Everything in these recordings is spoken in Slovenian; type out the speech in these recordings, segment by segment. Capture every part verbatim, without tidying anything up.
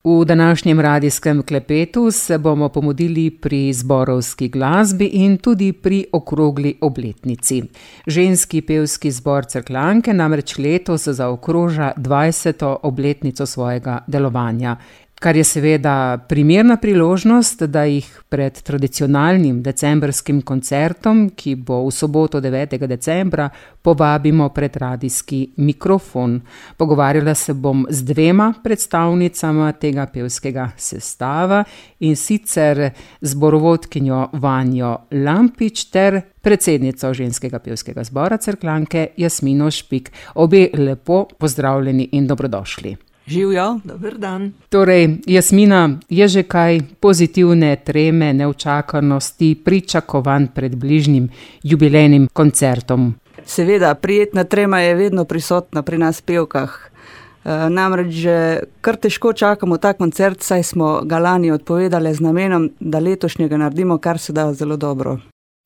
V današnjem radijskem klepetu se bomo pomudili pri zborovski glasbi in tudi pri okrogli obletnici. Ženski pevski zbor Cerkljanke namreč letos zaokroža dvajseto obletnico svojega delovanja, kar je seveda primerna priložnost, da jih pred tradicionalnim decembrskim koncertom, ki bo v soboto devetega decembra, povabimo pred radijski mikrofon. Pogovarjala se bom z dvema predstavnicama tega pevskega sestava, in sicer zborovodkinjo Vanjo Lampič ter predsednico ženskega pevskega zbora Cerkljanke Jasmino Špik. Obe lepo pozdravljeni in dobrodošli. Živjo, dober dan. Torej, Jasmina, je že kaj pozitivne treme, neučakanosti, pričakovanj pred bližnjim jubilejnim koncertom? Seveda, prijetna trema je vedno prisotna pri nas pevkah. E, namreč že kar težko čakamo ta koncert, saj smo ga lani odpovedali z namenom, da letošnjega naredimo kar se da zelo dobro.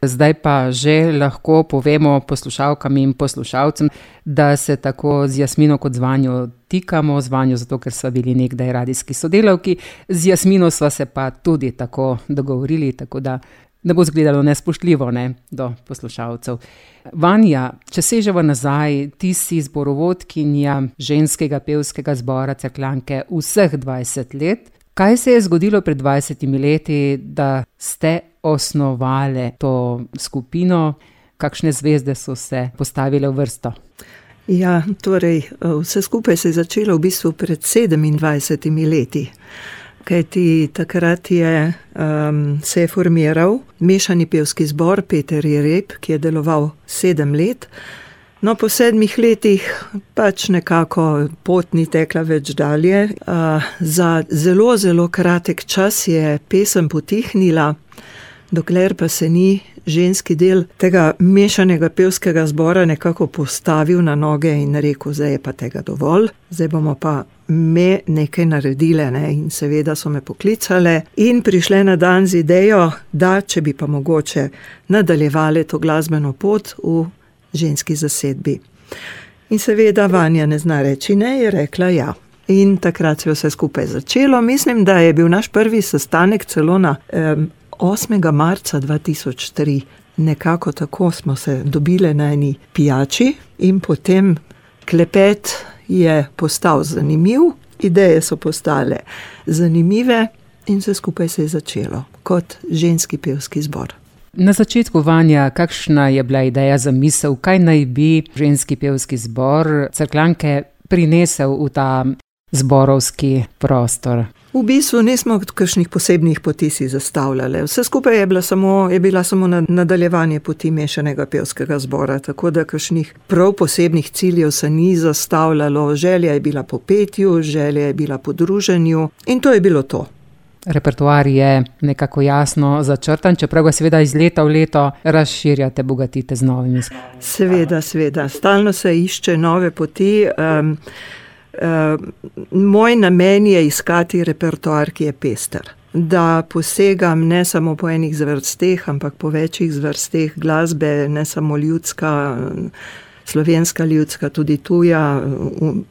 Zdaj pa že lahko povemo poslušalkam in poslušalcem, da se tako z Jasmino kot z Vanjo tikamo, z Vanjo zato, ker sva bili nekdaj radijski sodelavki, z Jasmino sva se pa tudi tako dogovorili, tako da ne bo izgledalo nespoštljivo, ne, do poslušalcev. Vanja, če sežemo nazaj, ti si zborovodkinja ženskega pevskega zbora Cerkljanke vseh dvajset let. Kaj se je zgodilo pred dvajsetimi leti, da ste osnovali to skupino? Kakšne zvezde so se postavile v vrsto? Ja, torej, vse skupaj se je začelo v bistvu pred sedemindvajsetimi leti. Kajti takrat je, um, se je formiral mešani pevski zbor Peter Jereb, ki je deloval sedem let. No, po sedmih letih pač nekako pot ni tekla več dalje. Uh, za zelo, zelo kratek čas je pesem potihnila, dokler pa se ni ženski del tega mešanega pevskega zbora nekako postavil na noge in rekel, zdaj je pa tega dovolj, zdaj bomo pa me nekaj naredile, ne? In seveda so me poklicale in prišle na dan z idejo, da če bi pa mogoče nadaljevali to glasbeno pot v ženski zasedbi. In seveda Vanja ne zna reči ne, je rekla ja. In takrat se je vse skupaj začelo. Mislim, da je bil naš prvi sestanek celo na um, osmega marca dva tisoč tri. Nekako tako smo se dobile na eni pijači in potem klepet je postal zanimiv, ideje so postale zanimive in vse skupaj se je začelo kot ženski pevski zbor. Na začetku, Vanja, kakšna je bila ideja, zamisel, kaj naj bi ženski pevski zbor Cerkljanke prinesel v ta zborovski prostor? V bistvu nismo kakšnih posebnih poti si zastavljali. Vse skupaj je bila samo, je bila samo nadaljevanje poti mešanega pevskega zbora, tako da kakšnih prav posebnih ciljev se ni zastavljalo. Želja je bila po petju, želja je bila po druženju in to je bilo to. Repertoar je nekako jasno začrtan, čeprav ga seveda iz leta v leto razširjate, bogatite z novimi. Seveda, seveda. Stalno se išče nove poti. Um, Uh, moj namen je iskati repertoar, ki je pester. Da posegam ne samo po enih zvrsteh, ampak po večjih zvrsteh glasbe, ne samo ljudska, slovenska ljudska, tudi tuja,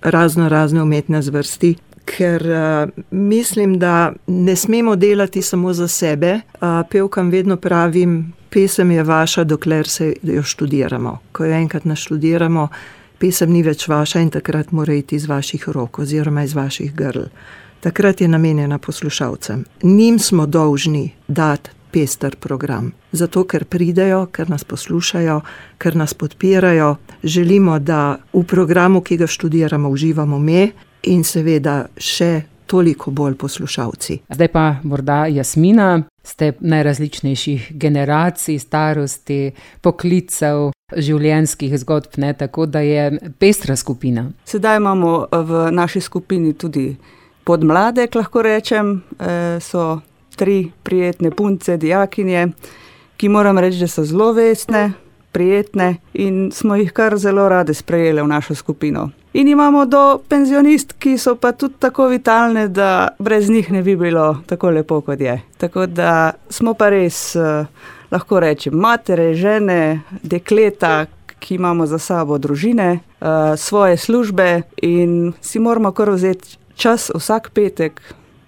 razno razne umetne zvrsti. Ker uh, mislim, da ne smemo delati samo za sebe. Uh, pevkam vedno pravim, pesem je vaša, dokler se jo študiramo. Ko jo enkrat naštudiramo, pesem ni več vaša in takrat mora iti iz vaših rok oziroma iz vaših grl. Takrat je namenjena poslušalcem. Njim smo dolžni dati pester program. Zato, ker pridejo, ker nas poslušajo, ker nas podpirajo. Želimo, da v programu, ki ga študiramo, uživamo me in seveda še toliko bolj poslušalci. Zdaj pa morda Jasmina, ste najrazličnejših generacij, starosti, poklicev, življenjskih zgodb, ne, tako da je pestra skupina. Sedaj imamo v naši skupini tudi podmladek, lahko rečem, e, so tri prijetne punce, dijakinje, ki moram reči, da so zelo vestne, prijetne in smo jih kar zelo rade sprejeli v našo skupino. In imamo do penzionist, ki so pa tudi tako vitalne, da brez njih ne bi bilo tako lepo, kot je. Tako da smo pa res, eh, lahko rečem, matere, žene, dekleta, ki imamo za sabo družine, eh, svoje službe in si moramo kar vzeti čas vsak petek,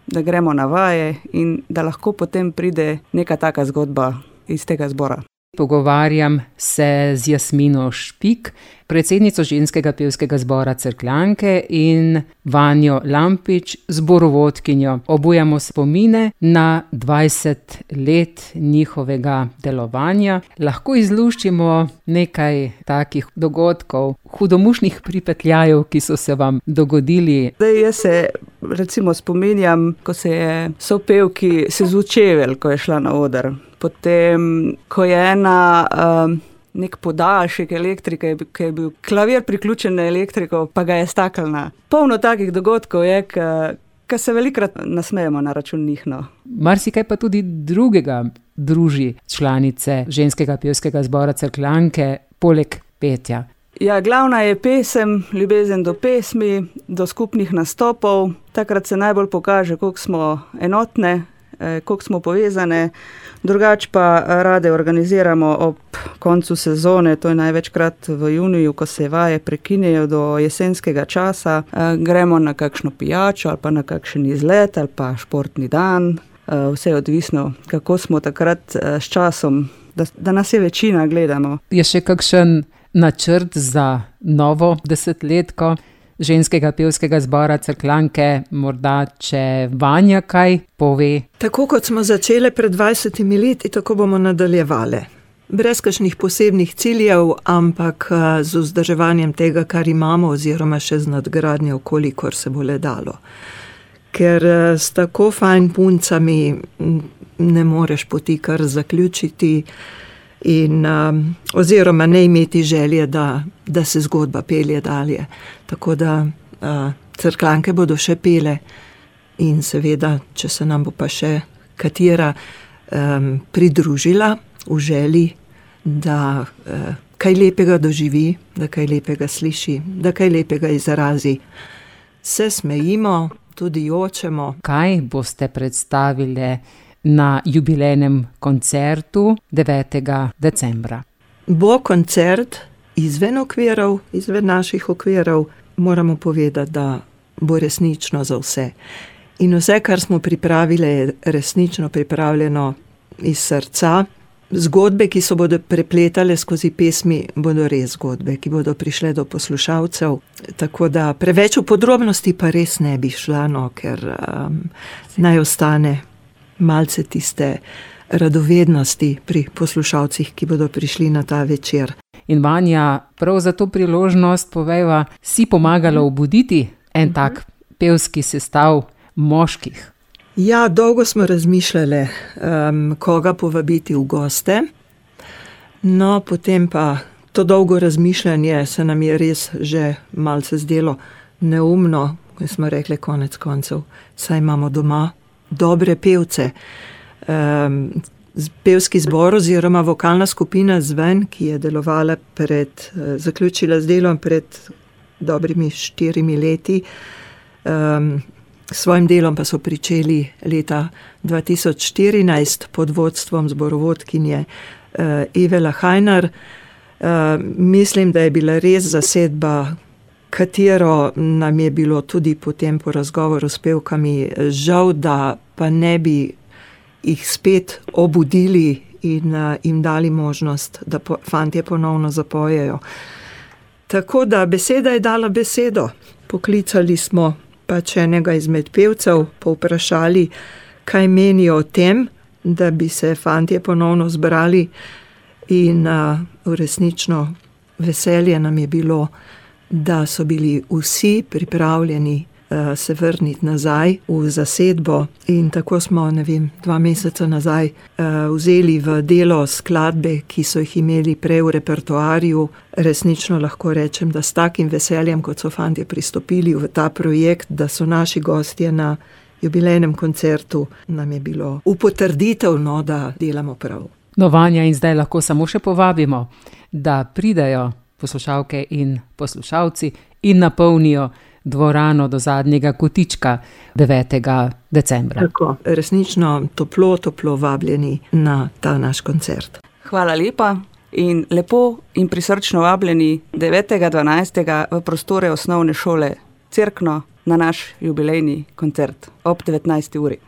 da gremo na vaje in da lahko potem pride neka taka zgodba iz tega zbora. Pogovarjam se z Jasmino Špik, predsednico ženskega pevskega zbora Cerkljanke, in Vanjo Lampič, zborovodkinjo. Obujamo spomine na dvajset let njihovega delovanja. Lahko izluščimo nekaj takih dogodkov, hudomušnih pripetljajev, ki so se vam dogodili. Zdaj, jaz se recimo spominjam, ko se je sopevki sezul čevelj, ko je šla na oder. Potem, ko je ena um, nek podaljšek elektrike, ki je bil klavir priključen na elektriko, pa ga je staknila. Polno takih dogodkov je, ki se velikrat nasmejemo na račun njih. No. Marsikaj pa tudi drugega druži članice ženskega pevskega zbora Cerkljanke, poleg petja. Ja, glavna je pesem, ljubezen do pesmi, do skupnih nastopov. Takrat se najbolj pokaže, koliko smo enotne, koliko smo povezane. Drugač pa rade organiziramo ob koncu sezone, to je največkrat v juniju, ko se vaje prekinejo do jesenskega časa. Gremo na kakšno pijačo ali pa na kakšen izlet ali pa športni dan. Vse je odvisno, kako smo takrat s časom, da, da nas je večina, gledamo. Je še kakšen načrt za novo desetletko ženskega pevskega zbora Cerkljanke, morda če Vanja kaj pove? Tako kot smo začele pred dvajsetimi leti, tako bomo nadaljevale. Brez kakšnih posebnih ciljev, ampak z vzdrževanjem tega, kar imamo, oziroma še z nadgradnjo, kolikor se bo le dalo. Ker s tako fajn puncami ne moreš poti kar zaključiti, in um, oziroma ne imeti želje, da, da se zgodba pelje dalje. Tako da uh, Cerkljanke bodo še pele in seveda, če se nam bo pa še katera um, pridružila v želji, da uh, kaj lepega doživi, da kaj lepega sliši, da kaj lepega izrazi. Se smejimo, tudi jočemo. Kaj boste predstavili na jubilejnem koncertu devetega decembra? Bo koncert izven okvirov, izven naših okvirov. Moramo povedati, da bo resnično za vse. In vse, kar smo pripravili, je resnično pripravljeno iz srca. Zgodbe, ki se bodo prepletale skozi pesmi, bodo res zgodbe, ki bodo prišle do poslušalcev. Tako da preveč v podrobnosti pa res ne bi šla, no, ker um, naj ostane malce tiste radovednosti pri poslušalcih, ki bodo prišli na ta večer. In Vanja, prav za to priložnost povejva, si pomagala obuditi en tak pevski sestav moških? Ja, dolgo smo razmišljali, um, koga povabiti v goste. No, potem pa to dolgo razmišljanje se nam je res že malce zdelo neumno, ko smo rekli konec koncev, saj imamo doma dobre pevce. Um, pevski zbor oziroma vokalna skupina Zven, ki je delovala pred, zaključila z delom pred dobrimi štirimi leti, um, s svojim delom pa so pričeli leta dva tisoč štirinajst pod vodstvom zborovodkinje uh, Eve Lahajnar. Uh, mislim, da je bila res zasedba, katero nam je bilo tudi potem po razgovoru s pevkami žal, da pa ne bi jih spet obudili in uh, jim dali možnost, da po, fantje ponovno zapojejo. Tako da beseda je dala besedo. Poklicali smo pač enega izmed pevcev, povprašali, kaj menijo o tem, da bi se fantje ponovno zbrali, in uh, resnično veselje nam je bilo, da so bili vsi pripravljeni uh, se vrniti nazaj v zasedbo, in tako smo, ne vem, dva meseca nazaj uh, vzeli v delo skladbe, ki so jih imeli prej v repertoarju. Resnično lahko rečem, da s takim veseljem, kot so fantje pristopili v ta projekt, da so naši gostje na jubilejnem koncertu, nam je bilo v potrditev, no, da delamo prav. No, Vanja, in zdaj lahko samo še povabimo, da pridejo poslušalke in poslušalci in napolnijo dvorano do zadnjega kotička devetega decembra. Tako, resnično toplo, toplo vabljeni na ta naš koncert. Hvala lepa in lepo in prisrčno vabljeni devetega dvanajstega v prostore osnovne šole Cerkno na naš jubilejni koncert ob devetnajsti uri.